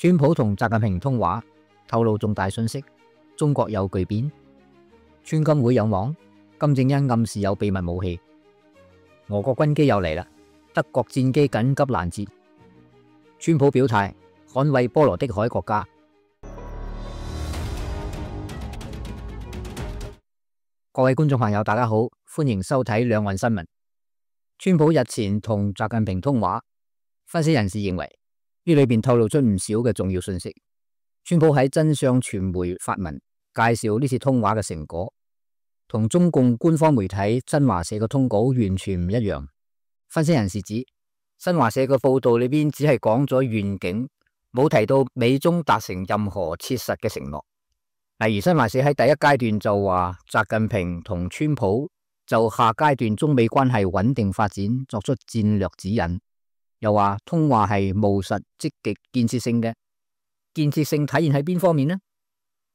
川普同習近平通話，透露重大信息，中國有巨變。川金會有網，金正恩暗示有秘密武器。俄國軍機又嚟啦，德國戰機緊急攔截。川普表態捍衛波羅的海國家。各位觀眾朋友，大家好，歡迎收睇兩岸新聞。川普日前同習近平通話，分析人士認為呢裏邊透露出唔少嘅重要信息。川普喺真相傳媒發文介紹呢次通話嘅成果，同中共官方媒體新華社嘅通稿完全唔一樣。分析人士指，新華社嘅報道裏邊只係講咗願景，冇提到美中達成任何切實嘅承諾。例如新華社喺第一階段就話，習近平同川普就下階段中美關係穩定發展作出戰略指引，又話通話係務實、積極、建設性嘅。建設性體現喺邊方面呢？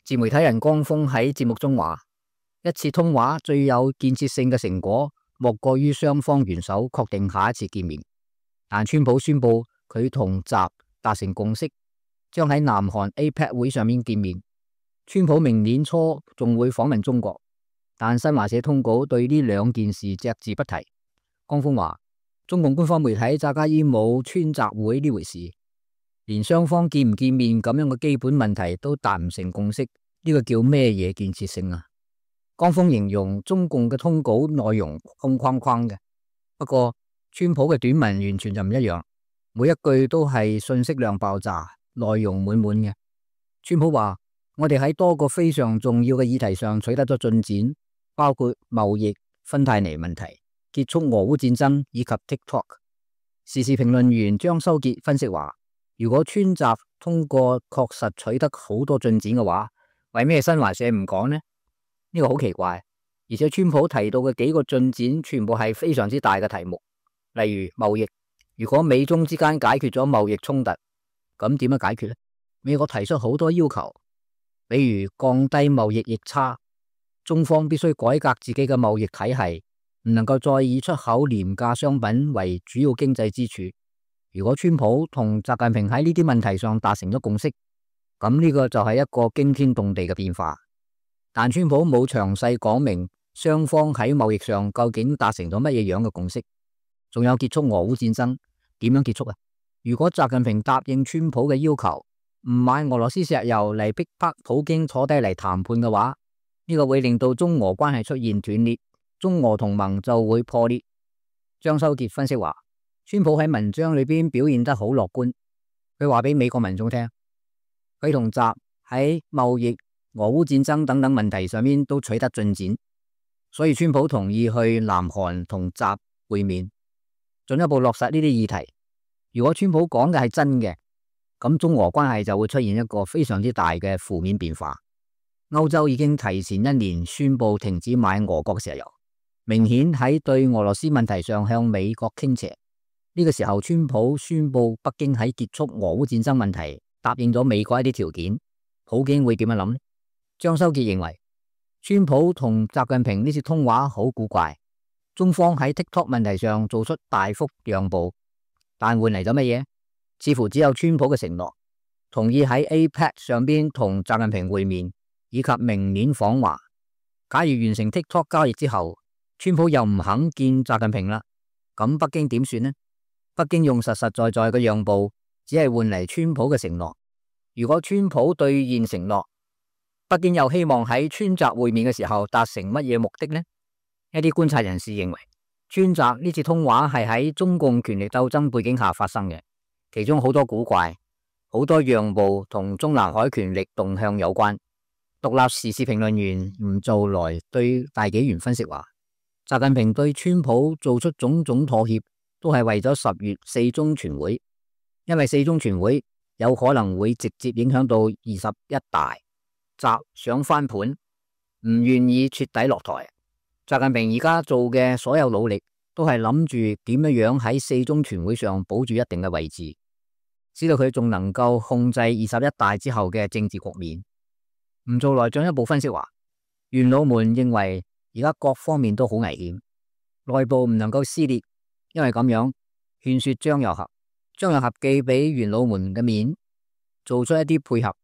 自媒體人江峰喺節目中話，一次通話最有建設性嘅成果，莫過於雙方元首確定下一次見面。但川普宣布佢同習達成共識，將喺南韓 APEC 會上面見面。川普明年初仲會訪問中國，但新華社通稿對呢兩件事隻字不提。江峰話，中共官方媒體詐假意冇川習會呢回事，連雙方見唔見面咁樣嘅基本問題都達唔成共識，呢個叫咩嘢建設性啊？江峰形容中共嘅通稿內容空框框嘅，不過川普嘅短文完全就唔一樣，每一句都係信息量爆炸，內容滿滿嘅。川普話，我哋喺多個非常重要嘅議題上取得咗進展，包括貿易、芬太尼問題、結束俄烏戰爭以及 TikTok。時事評論員張修傑分析話，如果川習通過確實取得好多進展嘅話，為咩新華社唔講呢？呢個好奇怪，而且川普提到嘅幾個進展全部係非常之大嘅題目，例如貿易。如果美中之間解決咗貿易衝突，咁點樣解決呢？美國提出好多要求，比如降低貿易逆差，中方必須改革自己嘅貿易體系，唔能夠再以出口廉價商品為主要經濟支柱。如果川普同習近平喺呢啲問題上達成咗共識，咁呢個就係一個驚天動地嘅變化。但川普冇詳細講明雙方喺貿易上究竟達成咗乜嘢樣嘅共識，仲有結束俄烏戰爭點樣結束啊？如果習近平答應川普嘅要求，唔買俄羅斯石油嚟逼迫普京坐低嚟談判嘅話，呢個會令到中俄關係出現斷裂，中俄同盟就會破裂。張修傑分析話，川普喺文章裏邊表現得好樂觀，佢話俾美國民眾聽，佢同習喺貿易、俄烏戰爭等等問題上面都取得進展，所以川普同意去南韓同習會面，進一步落實呢啲議題。如果川普講嘅係真嘅，咁中俄關係就會出現一個非常之大嘅負面變化。歐洲已經提前1年宣布停止買俄國石油，明顯喺對俄羅斯問題上向美國傾斜。呢個時候川普宣布北京喺結束俄烏戰爭問題答應咗美國一啲條件，普京會點樣諗呢？張修傑認為，川普同習近平呢次通話好古怪，中方喺 TikTok 問題上做出大幅讓步，但換嚟咗乜嘢？似乎只有川普嘅承諾，同意喺 APEC 上邊同習近平會面，以及明年訪華。假如完成 TikTok 交易之後，川普又唔肯見習近平啦，咁北京點算呢？北京用實實在在嘅讓步，只係換嚟川普嘅承諾。如果川普兌現承諾，北京又希望喺川習會面嘅時候達成乜嘢目的呢？一啲觀察人士認為，川習呢次通話係喺中共權力鬥爭背景下發生嘅。其中好多古怪，好多讓步同中南海權力動向有關。獨立時事評論員吳做來對大紀元分析話，習近平對川普做出種種妥協，都係為咗10月4中全會，因為4中全會有可能會直接影響到21大，習想翻盤，唔願意徹底落台。習近平而家做嘅所有努力，都係諗住點樣喺4中全會上保住一定嘅位置，知道佢仲能夠控制21大之後嘅政治局面。吳做來進一步分析話，元老們認為而家各方面都好危險，內部唔能夠撕裂，因為咁樣勸說張又俠，張又俠既俾元老們嘅面，做出一啲配合，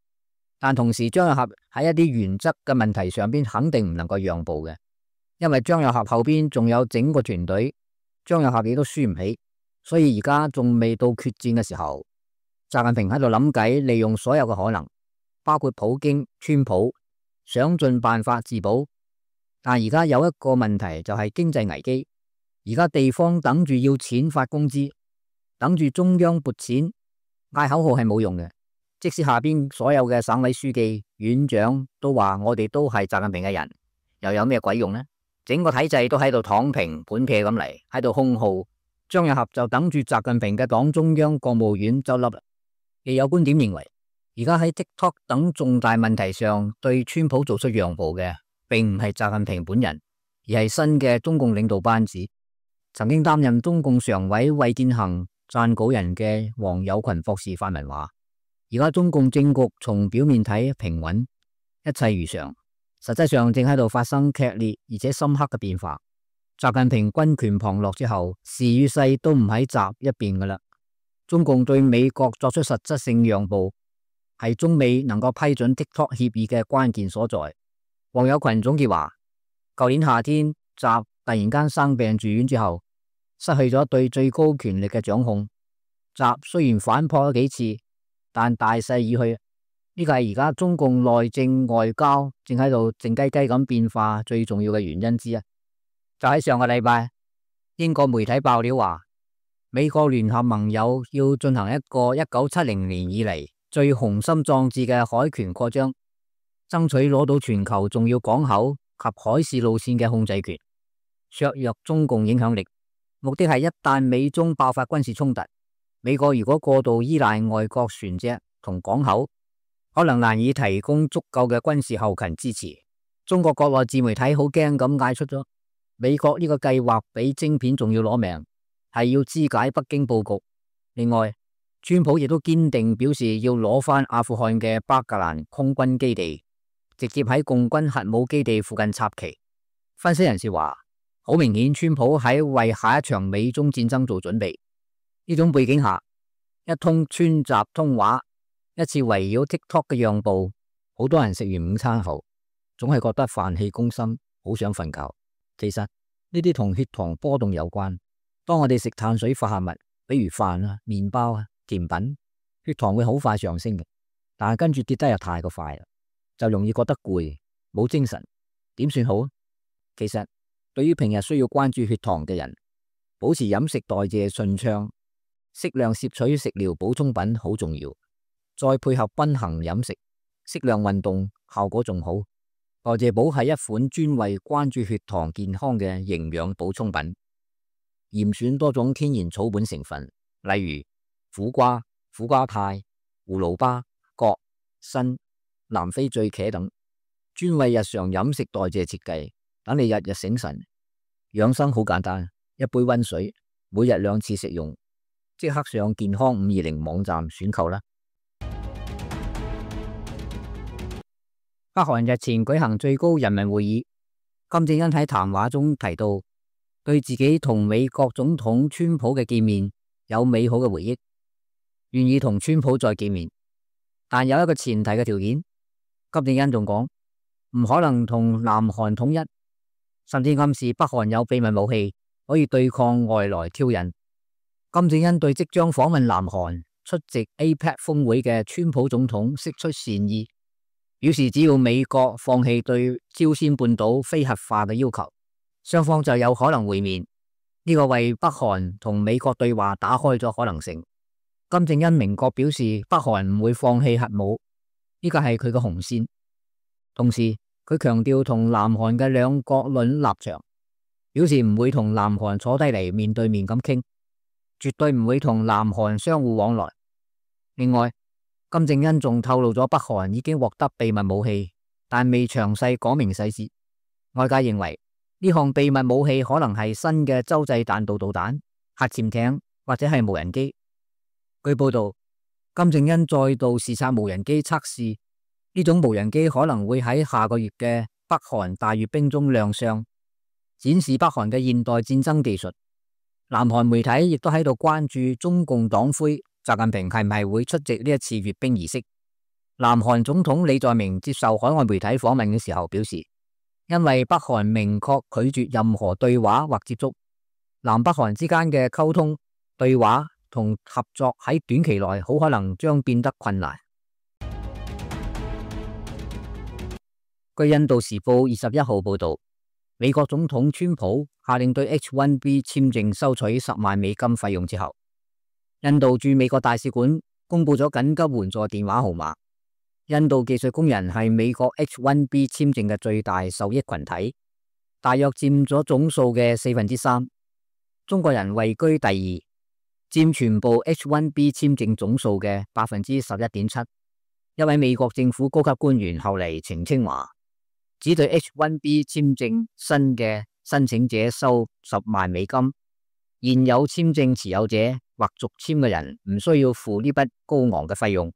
但同時張又俠喺一啲原則嘅問題上邊肯定唔能夠讓步嘅，因為張又俠後邊仲有整個團隊，張又俠亦都輸唔起，所以而家仲未到決戰嘅時候。習近平喺度諗計，利用所有嘅可能，包括普京、川普，想盡辦法自保。但而家有一個問題就係經濟危機，而家地方等住要錢發工資，等住中央撥錢，嗌口號係冇用嘅。即使下邊所有嘅省委書記、院長都話我哋都係習近平嘅人，又有咩鬼用呢？整個體制都喺度躺平盤撇咁嚟，喺度空耗。張又俠就等住習近平嘅黨中央、國務院執笠啦。亦有觀點認為，而家喺 TikTok 等重大問題上對川普做出讓步嘅，並唔係習近平本人，而係新嘅中共領導班子。曾經擔任中共常委衛健行撰稿人嘅王友群博士發文話，而家中共政局從表面睇平穩，一切如常，實際上正喺度發生劇烈而且深刻嘅變化。習近平軍權旁落之後，時與勢都唔喺習一邊噶啦。中共對美國作出實質性讓步，係中美能夠批准 TikTok 協議嘅關鍵所在。王友群總結話，舊年夏天習突然間生病住院之後，失去咗對最高權力嘅掌控。習雖然反撲咗幾次，但大勢已去。呢個係而家中共內政外交正喺度靜雞雞咁變化最重要嘅原因之一。就喺上個禮拜，英國媒體爆料話，美國聯合盟友要進行一個1970年以嚟最雄心壯志嘅海權擴張，爭取攞到全球重要港口及海事路線嘅控制權，削弱中共影響力。目的係一旦美中爆發軍事衝突，美國如果過度依賴外國船隻同港口，可能難以提供足夠嘅軍事後勤支持。中國國內自媒體好驚咁嗌出咗，美國呢個計劃比晶片仲要攞命，係要肢解北京布局。另外，川普亦都堅定表示要攞翻阿富汗嘅巴格蘭空軍基地，直接喺共軍核武基地附近插旗。分析人士話，好明顯川普喺為下一場美中戰爭做準備。呢種背景下，一通川習通話，一次圍繞 TikTok 嘅讓步，好多人食完午餐後，總係覺得飯氣攻心，好想瞓覺。其實呢啲同血糖波動有關。當我哋食碳水化合物，比如飯啊、麵包啊、甜品，血糖會好快上升嘅，但係跟住跌得又太過快啦，就容易覺得攰，冇精神，點算好？其實對於平日需要關注血糖嘅人，保持飲食代謝順暢，適量攝取食療補充品好重要，再配合均衡飲食、適量運動，效果仲好。代謝寶係一款專為關注血糖健康嘅營養補充品。嚴選多種天然草本成分，例如苦瓜、苦瓜肽、葫蘆巴、葛、參、南非醉茄等，專為日常飲食代謝設計，等你日日醒神。養生好簡單，一杯溫水，每日2次食用，即刻上健康520網站選購啦。北韓日前舉行最高人民會議，金正恩喺談話中提到，對自己同美國總統川普嘅見面有美好嘅回憶，願意同川普再見面，但有一個前提嘅條件。金正恩仲講唔可能同南韓統一，甚至暗示北韓有秘密武器可以對抗外來挑釁。金正恩對即將訪問南韓出席 APEC 峰會嘅川普總統釋出善意，表示只要美國放棄對朝鮮半島非核化嘅要求，雙方就有可能會面。呢個為北韓同美國對話打開咗可能性。金正恩明確表示北韓唔會放棄核武，呢個係佢嘅紅線。同時佢強調同南韓嘅兩國論立場，表示唔會同南韓坐低嚟面對面咁傾，絕對唔會同南韓相互往來。另外，金正恩仲透露咗北韓已經獲得秘密武器，但未詳細講明細節。外界認為呢項秘密武器可能係新嘅洲際彈道導彈、核潛艇或者係無人機。據報道，金正恩再度視察無人機測試，呢種無人機可能會喺下個月嘅北韓大閱兵中亮相，展示北韓嘅現代戰爭技術。南韓媒體亦都喺度關注中共黨魁習近平係唔係會出席呢一次閱兵儀式。南韓總統李在明接受海外媒體訪問嘅時候表示，因為北韓明確拒絕任何對話或接觸，南北韓之間嘅溝通、對話同合作喺短期內好可能將變得困難。據印度時報21號報道，美國總統川普下令對 H-1B 簽證收取10萬美金費用之後，印度駐美國大使館公布咗緊急援助電話號碼。印度技術工人係美國 H-1B 簽證嘅最大受益群體，大約佔咗總數嘅3%。中國人位居第二，佔全部 H-1B 簽證總數嘅11.7%。一位美國政府高級官員後嚟澄清話，只對 H-1B 簽證新嘅申請者收10萬美金，現有簽證持有者或續簽嘅人唔需要付呢筆高昂嘅費用。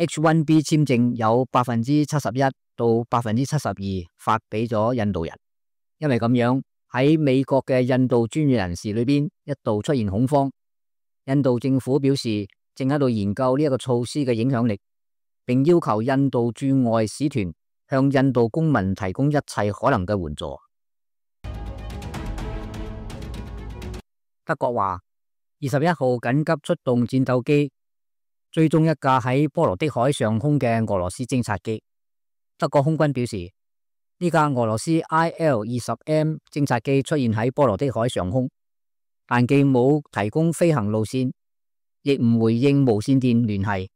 H-1B 簽證有71%到72%發俾咗印度人，因為咁樣喺美國嘅印度專業人士裏邊一度出現恐慌。印度政府表示正喺度研究呢一個措施嘅影響力，並要求印度駐外使團向印度公民提供一切可能嘅援助。德國話21號緊急出動戰鬥機追蹤一架喺波羅的海上空嘅俄羅斯偵察機。德國空軍表示，呢架俄羅斯 IL-20M 偵察機出現喺波羅的海上空，但既冇提供飛行路線，亦唔回應無線電聯繫。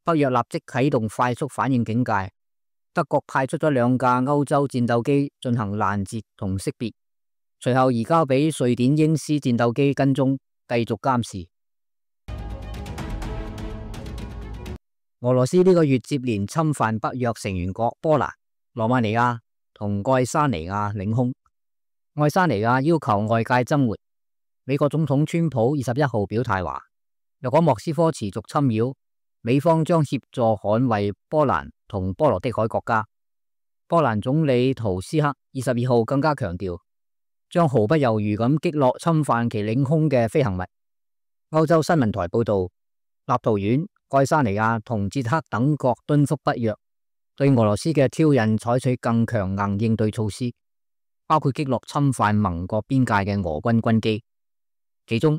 北約立即啟動快速反應警戒，德國派出咗2架歐洲戰鬥機進行攔截同識別，隨後移交俾瑞典鷹獅戰鬥機跟蹤，繼續監視。俄羅斯呢個月接連侵犯北約成員國波蘭、羅馬尼亞同愛沙尼亞領空。愛沙尼亞要求外界增援。美國總統川普21號表態話，若果莫斯科持續侵擾，美方將協助捍衛波蘭同波羅的海國家。波蘭總理圖斯克22號更加強調，將毫不猶豫咁擊落侵犯其領空嘅飛行物。歐洲新聞台報道，立陶宛、愛沙尼亞同捷克等國敦促北約對俄羅斯嘅挑釁採取更強硬應對措施，包括擊落侵犯盟國邊界嘅俄軍軍機。其中，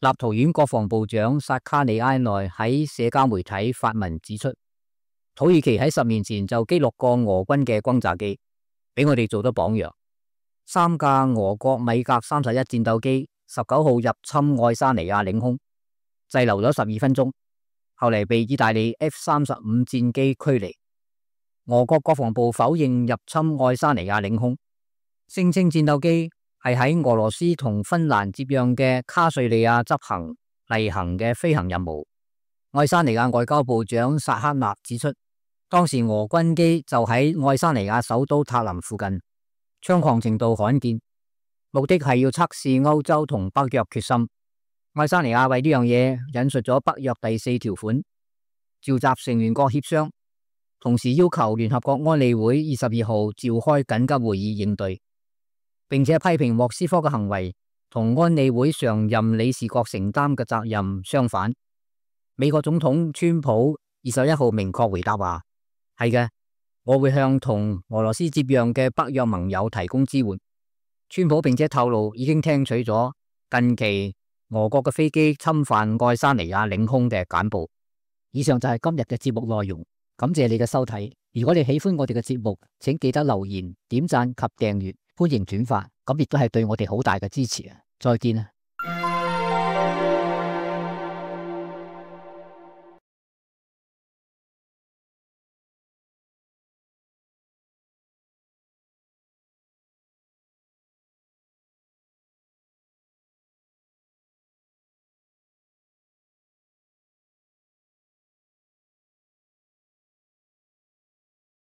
立陶宛國防部長薩卡里埃內喺社交媒體發文指出，土耳其喺10年前就擊落過俄軍嘅轟炸機，俾我哋做咗榜樣。3架俄國米格31戰鬥機19號入侵愛沙尼亞領空，滯留咗12分鐘，後嚟被意大利 F-35戰機驅離。俄國國防部否認入侵愛沙尼亞領空，聲稱戰鬥機係喺俄羅斯同芬蘭接壤嘅卡瑞利亞執行例行嘅飛行任務。愛沙尼亞外交部長薩克納指出，當時俄軍機就喺愛沙尼亞首都塔林附近，猖狂程度罕見，目的係要測試歐洲同北約決心。愛沙尼亞為呢樣嘢引述咗北約第4條款，召集成員國協商，同時要求聯合國安理會22號召開緊急會議應對，並且批評莫斯科嘅行為同安理會常任理事國承擔嘅責任相反。美國總統川普21號明確回答話，係嘅，我會向同俄羅斯接壤嘅北約盟友提供支援。川普並且透露已經聽取咗近期俄國嘅飛機侵犯愛沙尼亞領空嘅簡報。以上就係今日嘅節目內容，感謝你嘅收睇。如果你喜歡我哋嘅節目，請記得留言、點讚及訂閱，歡迎轉發，咁亦都係對我哋好大嘅支持啊！再見啊！